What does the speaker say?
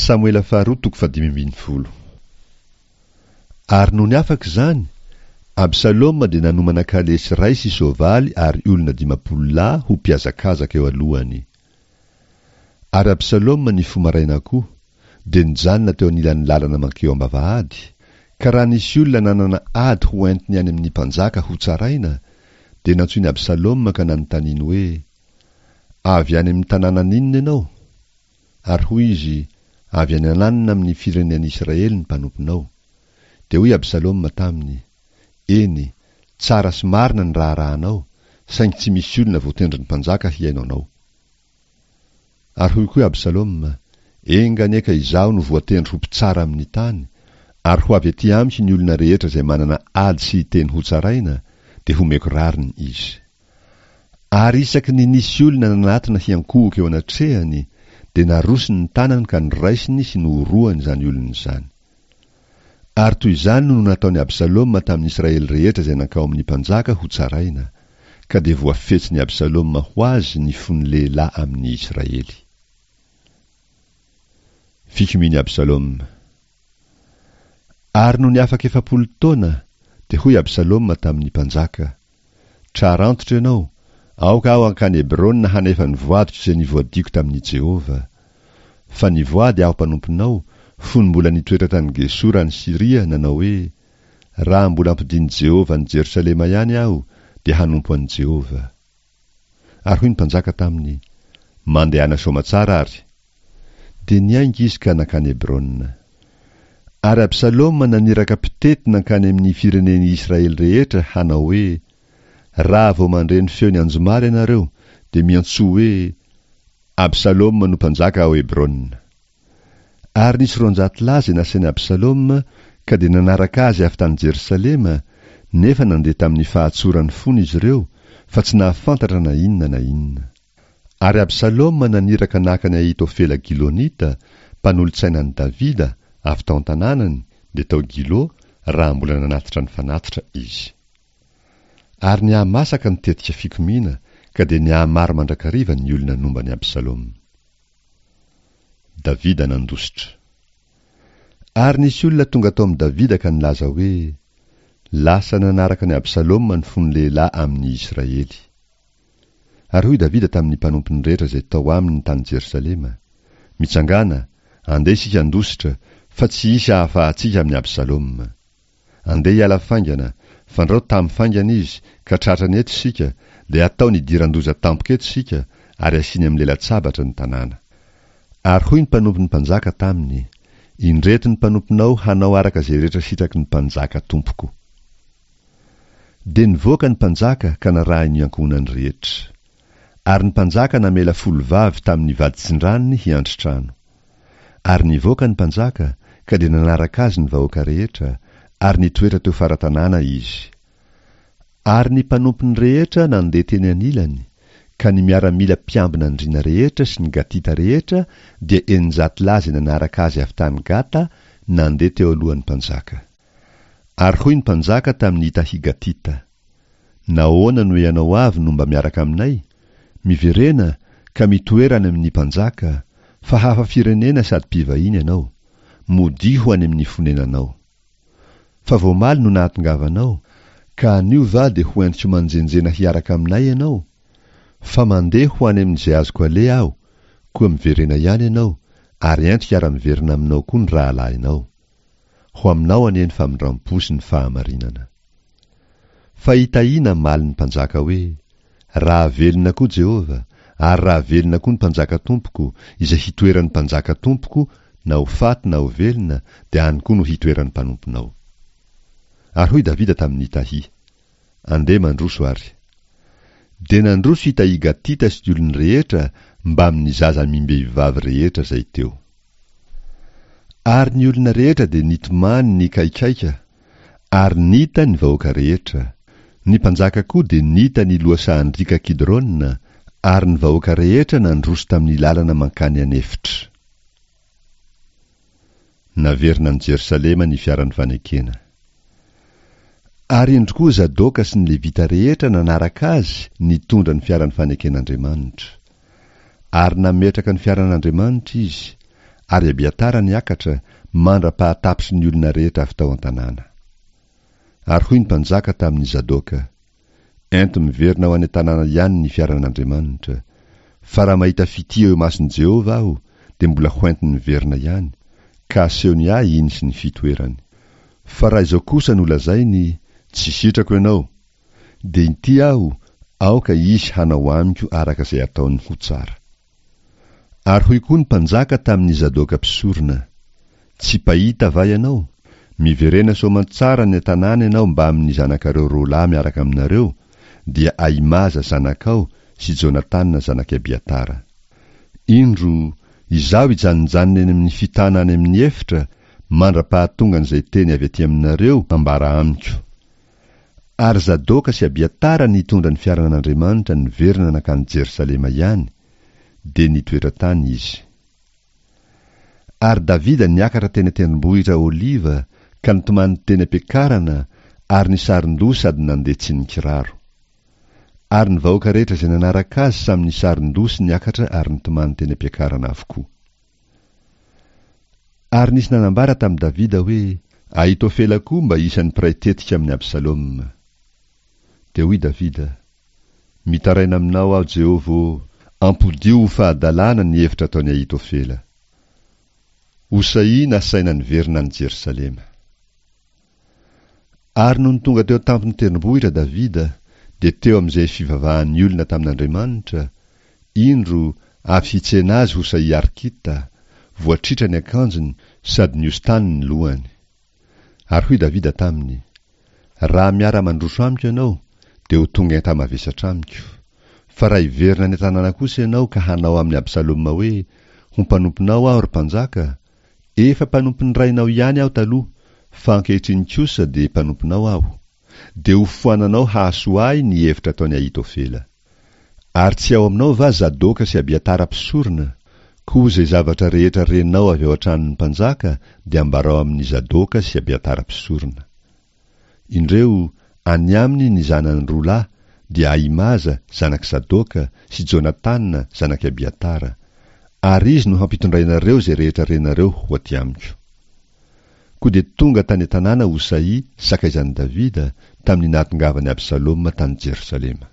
Samoela faharoa toko fahadimy ambin'ny folo. Ary nony afaka izany, Absaloma dia nanomana kalesy iray sy soavaly ary olona 50 lahy ho mpihazakazaka eo alohany. Ary Absaloma nifoha maraina koa, dia nijanona teo anilan'ny lalana mankeo am-bavahady, ka raha nisy olona nanana ady ho entiny any amin'ny mpanjaka hotsaraina, dia nantsoin'i Absaloma ka nanontaniany hoe, Avy any amin'ny tanànan'inona ianao? Ary hoy izy, Avy any ananona amin'ny firenen'Israely ny mpanomponao. Dia hoy Absaloma taminy, Eny, tsara sy marina ny raharahanao, saingy tsy misy olona voatendrin'ny mpanjaka hihaino anao. Ary hoy koa Absaloma, Enga anie ka izaho no voatendry ho mpitsara amin'ny tany, ary ho avy aty amiko ny olona rehetra izay manana ady sy hiteny hotsaraina, dia homeko rariny izy. Ary isaky ny nisy olona nanatona hiankohoka eo anatrehany, dia narosiny ny tanany ka noraisiny sy nohorohany izany olona izany. Ary toy izany no nataon'i Absaloma tamin'ny Israely rehetra izay nankao amin'ny mpanjaka hotsaraina, ka dia voafetsin'i Absaloma ho azy ny fon'ny lehilahy amin'ny Israely. Fikomian'i Absaloma. Ary nony afaka 40 taona, dia hoy Absaloma tamin'ny mpanjaka, Trara antitra ianao, aoka aho hankany Hebrona hanefa ny voadiko izay nivoadiako tamin'i Jehovah. Fa nivoady aho mpanomponao, fony mbola nitoetra tany Gesora any Syria, nanao hoe, Raha mbola ampodian'i Jehovah any Jerosalema ihany aho, dia hanompo an'i Jehovah. Ary hoy ny mpanjaka taminy, Mandehana soamatsara àry. Dia niainga izy ka nankany Hebrona. Ary Absaloma naniraka mpitety nankany amin'ny firenen'i Israely rehetra hanao hoe, Raha vao mandre ny feon'ny anjomara ianareo, dia miantsoa hoe, Absaloma no mpanjaka ao Hebrona. Ary nisy 200 lahy izay nasain'i Absaloma, ka dia nanaraka azy avy tany Jerosalema, nefa nandeha tamin'ny fahatsoran'ny fony izy ireo, fa tsy nahafantatra na inona na inona. Ary Absaloma naniraka naka an'i Ahitofela Gilonita, mpanolo-tsaina an'i Davida, avy tao an-tanànany, dia tao Gilo, raha mbola nanatitra ny fanatitra izy. Ary nihamasaka ny tetika fikomiana, ka dia nihamaro mandrakariva ny olona nomba an'i Absaloma. Davida nandositra. Ary nisy olona tonga tao amin'i Davida ka nilaza hoe, Lasa nanaraka an'i Absaloma ny fon'ny lehilahy amin'ny Israely. Ary hoy Davida tamin'ny mpanompony rehetra izay tao aminy tany Jerosalema, Mitsangàna, andeha isika handositra, fa tsy hisy hahafahantsika amin'i Absaloma. Andeha hiala faingana, fandrao tamy faingana izy, ka tratrany eto isika, dia hataony hidiran-doza tampoka eto isika, ary hasiany amin'ny lela-tsabatra ny tanàna. Ary hoy ny mpanompon'ny mpanjaka taminy, Indreto ny mpanomponao hanao araka izay rehetra sitraky ny mpanjaka tompoko. Dia nivoaka ny mpanjaka ka narahiny ny ankohonany rehetra. Ary ny mpanjaka namela folo vavy tamin' ny vaditsindranony hiandry trano. Ary nivoaka ny mpanjaka, ka dia nanaraka azy ny vahoaka rehetra, ary nitoetra teo fara-tanàna izy. Ary ny mpanompony rehetra nandeha teny anilany, ka ny miaramila mpiambina andriana rehetra sy ny Gatita rehetra dia 600 lahy izay nanaraka azy avy tany Gata nandeha teo alohan'ny mpanjaka. Ary hoy ny mpanjaka tamin'i Itahy Gatita, Nahoana no ianao avy no mba miaraka aminay? Miverena, ka mitoera any amin'ny mpanjaka, fa hafa firenena sady mpivahiny ianao. Modia ho any amin'ny fonenanao. Fa vao omaly no nahatongavanao, ka anio va dia ho entiko manjenjena hiaraka aminay ianao? Fa mandeha ho any amin'izay azoko aleha aho, koa miverena ihany ianao, ary ento hiara-miverina aminao koa ny rahalahinao. Ho aminao anie ny famindram-po sy ny fahamarinana. Fa i Tahi namaly ny mpanjaka hoe, Raha velona koa Jehovah, ary raha velona koa ny mpanjaka tompoko, izay hitoeran'ny mpanjaka tompoko, na ho faty na ho velona, dia any koa no hitoeran'ny mpanomponao. Ary hoy Davida tamin'i Tahi, Andeha mandroso àry. Dia nandroso i Tahi Gatita sy ny olony rehetra mbamin'ny zaza amim-behivavy rehetra izay teo. Ary ny olona rehetra dia nitomany nikaikaika, ary nita ny vahoaka rehetra. Ny mpanjaka koa dia nita ny lohasahan-driaka Kidrona, ary ny vahoaka rehetra nandroso tamin'ny lalana mankany an'efitra. Naverina any Jerosalema ny fiaran'ny fanekena. Ary indro koa Zadoka sy ny Levita rehetra nanaraka azy nitondra ny fiaran'ny faneken'Andriamanitra. Ary nametraka ny fiaran'Andriamanitra izy, Ary Abiatara niakatra, mandra-pahatapitry ny olona rehetra avy tao an-tanàna. Ary hoy ny mpanjaka tamin'i Zadoka, Ento miverina ho any an-tanàna ihany ny fiaran'Andriamanitra. Fa raha mahita fitia eo imason'i Jehovah aho, dia mbola hoentiny miverina ihany, ka asehony ahy iny sy ny fitoerany. Fa raha izao kosa no lazainy, Tsy sitrako ianao, dia inty aho, aoka izy hanao amiko araka izay ataony ho tsara. Ary hoy koa ny mpanjaka tamin'i Zadoka mpisorona, Tsy mpahita va ianao? Miverena soamantsara any an-tanàna ianao mbamin'ny zanakareo roa lahy miaraka aminareo, dia Ahimaza zanakao sy Jonatana zanak'i Abiatara. Indro, izaho hijanonjanona eny amin'ny fitana any amin'ny efitra, mandra-pahatongan'izay teny avy aty aminareo hambara amiko. Ary Zadoka sy Abiatara nitondra ny fiaran'Andriamanitra niverina nankany Jerosalema ihany, dia nitoetra tany izy. Ary Davida niakatra teny an-tendrombohitra Oliva ka nitomany teny am-piakarana ary nisaron-doha sady nandeha tsy nikiraro. Ary ny vahoaka rehetra izay nanaraka azy samy nisaron-doha sy niakatra ary nitomany teny am-piakarana avokoa. Ary nisy nanambara tamin'i Davida hoe, Ahitofela koa mba isan'ny mpiray tetika amin'i Absaloma. Dia hoy Davida, Mitaraina aminao aho, Jehovah ô, ampodio ho fahadalana ny hevitra ataon'i Ahitofela. Hosaï nasaina niverina any Jerosalema. Ary nony tonga teo an-tampon'ny tendrombohitra Davida, dia teo amin'izay fivavahan'ny olona tamin'Andriamanitra, indro, avy hitsena azy Hosaï Arkita, voatritra ny akanjony sady nihosin-tany ny lohany. Ary hoy Davida taminy, Raha miara-mandroso amiko ianao, dia ho tonga enta-mavesatra amiko. Fa raha hiverina any an-tanàna kosa ianao ka hanao amin'i Absaloma hoe, Ho mpanomponao aho, ry mpanjaka, Efa mpanompon'ny rainao ihany aho taloha, fa ankehitriny kosa dia mpanomponao aho. Dia hofoananao hahasoa ahy ny hevitra ataon'i Ahitofela. Ary tsy ao aminao va Zadoka sy Abiatara mpisorona? Koa izay zavatra rehetra renao avy ao an-tranon'ny mpanjaka dia ambarao amin'i Zadoka sy Abiatara mpisorona. Indreo, any aminy ny zanany roa lahy, dia Ahimaza, zanak'i Sadoka, sy Jonatana, zanak'i Abiatara. Ary izy no hampitondrainareo izay rehetra renareo ho aty amiko. Koa dia tonga tany an-tanàna Hosaï, sakaizan'i Davida, tamin'ny nahatongavan'i Absaloma tany Jerosalema.